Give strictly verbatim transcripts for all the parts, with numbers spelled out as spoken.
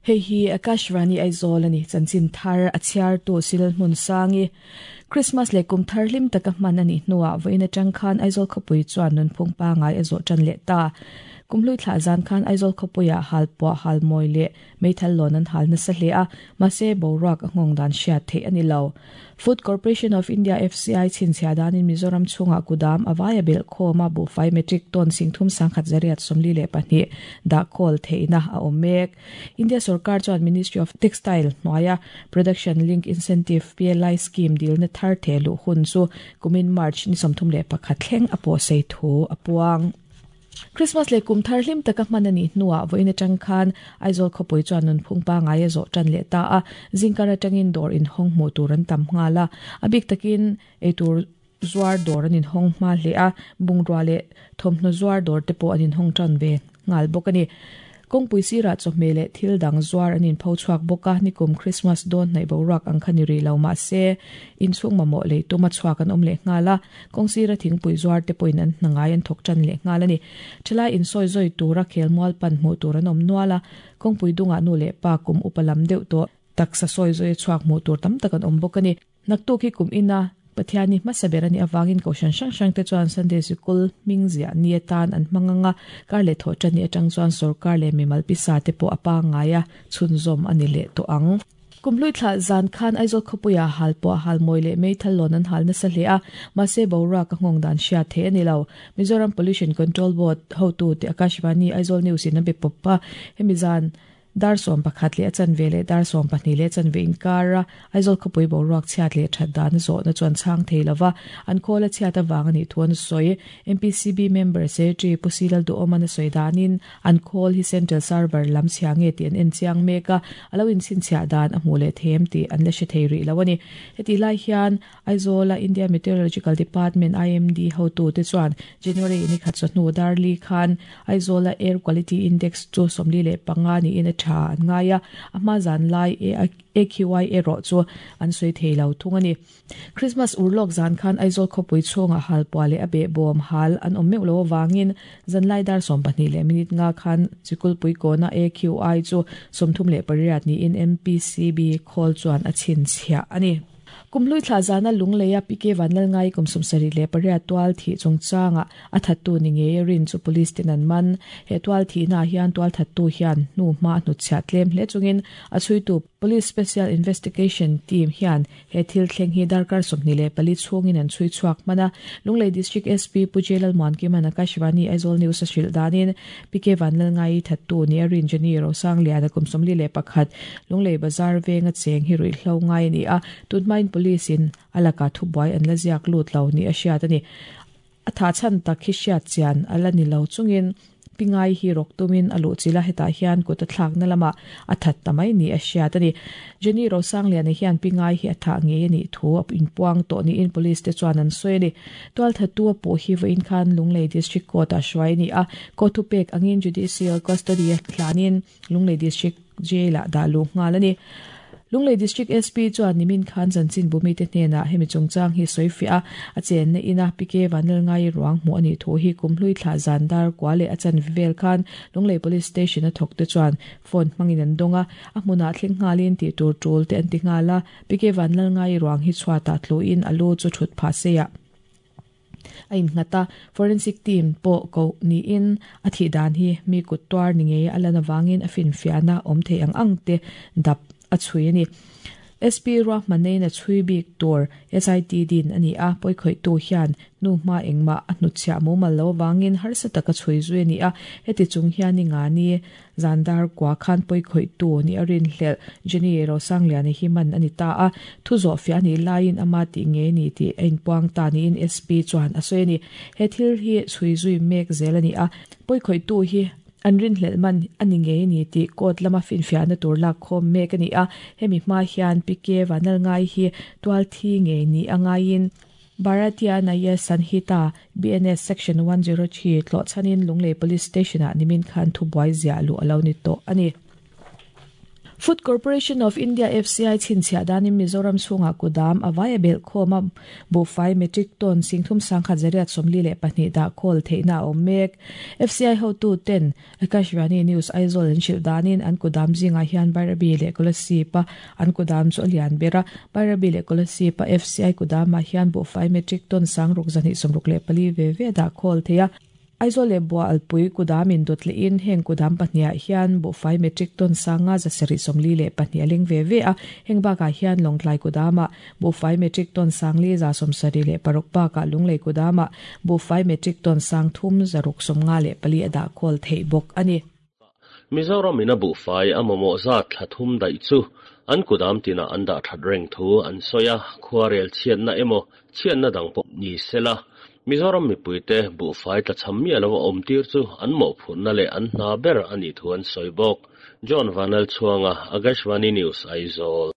Hei hi Akashvani Aizawl ani chanchin thar a chhiar tu sil hmun sangi Christmas le kum thar hlim taka hman ani hnuah vawiin atang khan Aizawl khawpui chuan nunphung pangai a zawh tan leh ta. Kumhlui thlah zan khan Aizawl khawpuiah hal pawh hal mawi leh meithal lawn an hal nasa hle a, mahse boruak a nghawng dan hriat theih a ni lo. Food Corporation of India F C I chhinchhiah danin Mizoram chhungah kudam a vaia belh khawm a buhfai metric ton singthum sangkhat zariat sawmli leh pahnih dah khawl theihna a awm mek. India sarkar chuan Ministry of Textile hnuaia Production Link Incentive P L I scheme dilna thar the luh hun chu kumin March ni sawmthum leh pakhat thleng a pawh sei thu a puang. Christmas le kum thar hlim taka hman ani hnuah vawiin atang khan Aizawl khawpui chuan nunphung pangai a zawh tan leh ta a, zingkar atangin dawr inhawng hmuh tur an tam nghal a, a bik takin eitur zuar dawr an inhawng hma hle a, bungrua leh thawmhnaw zuar dawr te pawh an inhawng tan ve nghal bawk a ni. Kawngpui sirah chawhmeh leh thil dang zuar an inpho chhuak bawk a, nikum Christmas dawn hnaih boruak ang kha ni rih lo mahse inchhung mamawh lei tuma chhuak an awm leh nghal a, kawng sira thingpui zuar te pawhin an hnangai an thawk tan leh nghal a ni. Thalai insawi zawi tura khelmual pan hmuh tur an awm nual a, kawngpui dungah nu leh pa kum upa lam deuh tawh taksa sawi zawi chhuak hmuh tur tam tak an awm bawk a ni. Naktuk hi kum ina Pathiani hmasa ber ani awangin koshan hrang hrang te chuan Sunday Sikul hming ziah ni atan an hmanganga kar leh thawh tan ni atang chuan sarkar leh mimal pisa te pawh a pangai a chhunzawm ani leh tawh ang. Kumhlui thlah zan khan Aizawl khawpuiah hal pawh hal mawi leh meithal lawn an hal nasa hle a, mahse boruak a nghawng dan hriat theih a ni lo. Mizoram Pollution Control Board hotu te Akashvani Aizawl News in a be pawp a, hemi zan dar sawm pakhat leh a chanve leh dar sawm pahnih leh chanve inkar a Aizawl khawpui boruak chhiat leh that dan zawhna chuan chhang thei lova an khawl a chhiat awang ani thu an sawi. M P C B member secretary Pu Silal Duhawm an a sawi danin an khawl hi central server lam chhia nge tih an en chiang mek a, alo in chhinchhiah dan a hmuh leh them tih an la hre thei rih lo ani. Heti lai hian Aizawla India Meteorological Department I M D hotu te chuan January ni khat chawhnu darli khan Aizawla Air Quality Index chu sawmli leh panga ni in a tha an ngai a, a hma zan lai A Q I erawh chu an sawi thei lo thung ani. Christmas urlawk zan khan Aizawl khawpui chhungah hal pua leh a beh bawm hal an awm meuh lo awangin zanlai dar sawm pahnih leh minute nga khan chikulpui kawna A Q I chu sawmthum leh pariat niin M P C B khawl chuan a chhinchhiah ani. Kumhlui thlah zana lungleia P K Vanlalngai kum sawmsarih leh pariat tual thih chungchanga a thattu ni nge rin chu police ten an man. He tual thihna hian tual thattu hian hnu hma hnuchhiah tlem hle chungin a chhuitu Police Special Investigation Team hian he thil thleng hi darkar sawmhnih leh pali chhungin an chhui chhuak hman a. Lunglei District S P Pu Jelal Muankiman Akashvani Aizawl News a hrilh danin P K Vanlalngai thattu ni a rin Jenny Rosang lian a kum sawmli leh pakhat Lunglei Bazar venga cheng hi ruihhlo ngai ani a, tunhmain police in alaka thubuai an la ziak lut lo ni a hriat ani. A tha chan tak hi hriat chian ala ni lo chungin pingai hi rok tumin a luh chila hetah hian kut a thlak na lama a that tamai ni a hriat ani. Jenny Rosang lian hian pingai hi a tha nge ani thu a inpuang tawh ni in police te chuan an sawi ani. Tual thattu a pawh hi vawiin khan Lunglei District Court a hruai ni a, court thupek angin judicial custody a thlanin Lunglei District Jail ah dah luh nghal ani. Lunglei District S P chuan nimin khan chanchin bumi te hnenah hemi chungchang hi sawi fiah a, a chen na ina P K Vanlalngai ruang hmuh ani thu hi kumhlui thlah zan dar kwa leh a chan vel khan Lunglei Police Station a thawk te chuan phone hmangin an dawng a, a hmunah thleng nghalin tih tur tul te an ti nghal a. P K Vanlalngai ruang hi chhuatah tluin a lu chu thut phah seia a innghat a, forensic team pawh ko niin a thih dan hi mi kut tuar ni nge a lan awangin a finfiahna awm thei ang ang te dap a chhui ani. S P Ruahmanein a chhui bik tur S I T din ani a, pawikhawih tu hian nu hma engmah a hnuchhiah mumal lo awangin harsa taka chhui zui ani a, heti chung hian ni nga ni zandar kwa khan pawikhawih tu ni a rin hlel Jenny Rosang lian hi man ani ta a, thu zawh fiah ani laiin ama tih nge ni tih a inpuang ta niin S P chuan a sawi ani. He thil hi chhui zui mek zel ani a, pawikhawih tu hi an rin hlel man ani nge ni tih court lama finfiahna tur lak khawm mek ani a, hemi hma hian P K Vanlalngai hi tual thi nge ni angaiin Bharatiya Nyaya Sanhita B N S Section one zero three thlawh chanin Lunglei Police Station ah nimin khan thubuai ziah luh alo ni tawh ani. Food Corporation of India F C I chinchia danin Mizoram chunga kudam awaya bel khoma buhfai metric ton singthum sangkhat zariat somli le pahnih da khol theina awm mek. F C I hotu ten Akashvani News Aizawl an hrilh danin an kudam zinga hian Bairabi leh Kolasib an kudam chu a lian bera. Bairabi leh Kolasib F C I kudamah hian buhfai metric ton sangruk zahnih sawmruk leh pali ve ve da khol theia. Aizawl leh bua alpui kudam in dawt leh in heng kudam pahniah hian buhfai metric ton sanga zasarih sawmli leh pahnih a leng ve ve a. Heng bakah hian lawngtlai kudamah buhfai metric ton sangli za sawmsarih leh paruk bakah lunglei kudamah buhfai metric ton sang thum zaruk sawmnga leh pali a dah khawl theih bawk a ni. Mizoram in a buhfai a mamawh zat thla thum daih chu an kudam tina an dah that reng thu an sawi a. Khuarel chhiatna emaw chhiatna dang pawh ni sela Mizoram mipuite buhfai tlachham mi alo awm tir chu an mawhphurhna leh an hna ber ani thu an sawi bawk. John Vanal Chuanga, Akashvani News, Aizawl.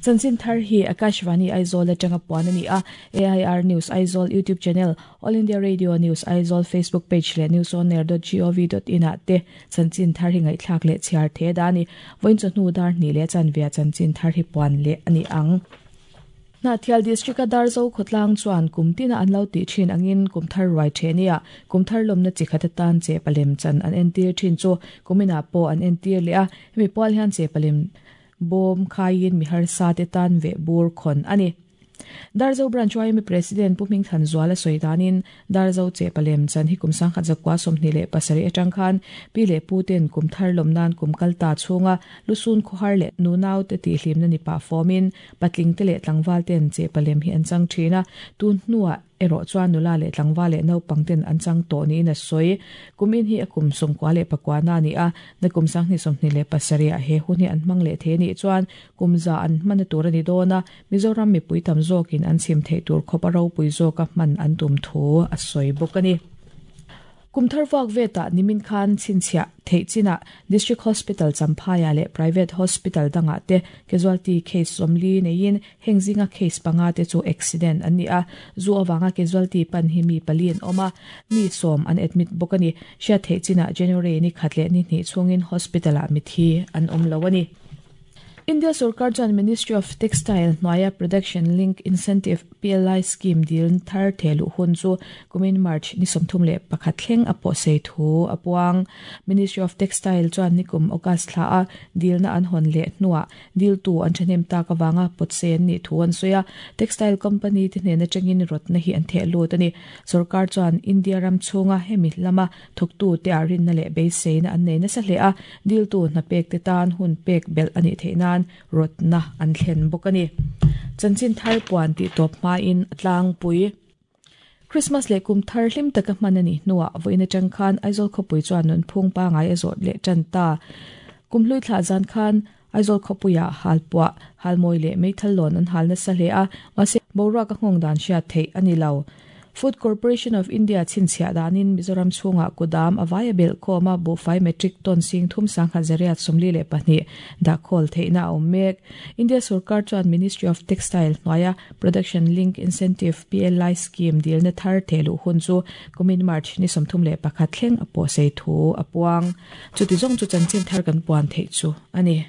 Chanchin thar hi Akashvani Aizawl atanga puan ani a. A I R News Aizawl YouTube channel, All India Radio News Aizawl Facebook page leh news on air dot gov dot in ah te chanchin thar hi ngaihthlak leh chhiar the dani. Vawiin chawhnu dar hnih leh chanvia chanchin thar hi puan leh ani ang. Hnahthial District a Darzo khawtlang chuan kumtina an lo tih thin angin kumthar ruai thenia kumthar lawmna chi khat atan che palem chan an entir thin chu kumina pawh an entir leh a. Hemi pual hian che palem bawm khaiin mi harsa te tan ve bur khawn ani. Darzo branch Y M A President Pu Hming Than Zuala sawi danin Darzo che palem chan hi kum sangkhat zakwa sawmhnih leh pasarih atang khan pi leh pu ten kumthar lawm nan kum kalta chhunga lusun khawhar leh nunau te tih hlimna ni pah fawmin patling te leh tlangval ten che palem hi an chang thin a. Tun hnuah erawh chuan nula leh tlangval leh naupang ten an chang tawh niin a sawi. Kumin hi a kum sawmkua leh pakua na ani a. Na kum sanghnih sawmhnih leh pasarih ah he hun hi an hmang leh the ni chuan kumza an hman tur ani dawn a. Mizoram mipui tam zawkin an chim theih tur khawp a ropui zawk a hman an tum thu a sawi bawk ani. Kumthar vak veta nimin khan chinchhia theih chinah District Hospital Champhaiah leh Private Hospital dangah te casualty case sawmli neiin heng zinga case panga te chu accident an ni a. Zu awanga casualty pan hi mi pali an awm a, mi sawm an admit bawk ani. Hriat theih chinah January ni khat leh ni hnih chhungin hospital ah mithi an awm lo ani. India Sarkar chuan Ministry of Textile hnuaia Production Link Incentive P L I scheme dil thar thehluh hun chu kumin March ni sawmthum leh pakhat thleng a pawh sei thu a puang. Ministry of Textile chuan nikum August thla a dilna an hawn leh hnuah dil tu an thahnem tak awanga pawt sei an nih thu an sawi a. Textile company te hnena tangin rawtna hi an theh lut ani. Sarkar chuan India ram chhunga hemi lama thawktu te a rinna leh beiseina an nei nasa hle a. Dil tu hna pek te tan hun pek belh ani theih nan rawtna an thlen bawk ani. Chanchin thar puan tih tawp hmain tlang pui. Christmas leh kum thar hlim taka hman ani hnuah vawiin atang khan Aizawl khawpui chuan nunphung pangai a zawt leh tan ta. Kumhlui thlah zan khan Aizawl khawpuiah halpuah halmawi leh meithal lawn an hal nasa hle a. Mahse boruak a nghawng dan hriat theih ani lo. Food Corporation of India chinchhia danin Mizoram chhunga kudam awaya bel khawma buhfai metric ton sing thum sangkhat zariat sawmli leh pahnih dah khawl theihna a awm mek. India Sarkar chuan Ministry of Textile hnuaia Production Link Incentive P L I scheme dilna thar thehluh hun chu kumin March ni sawmthum leh pakhat thleng a pawh sei thu a puang. Chuti zawng chu chanchin thar kan puan theih chu ani.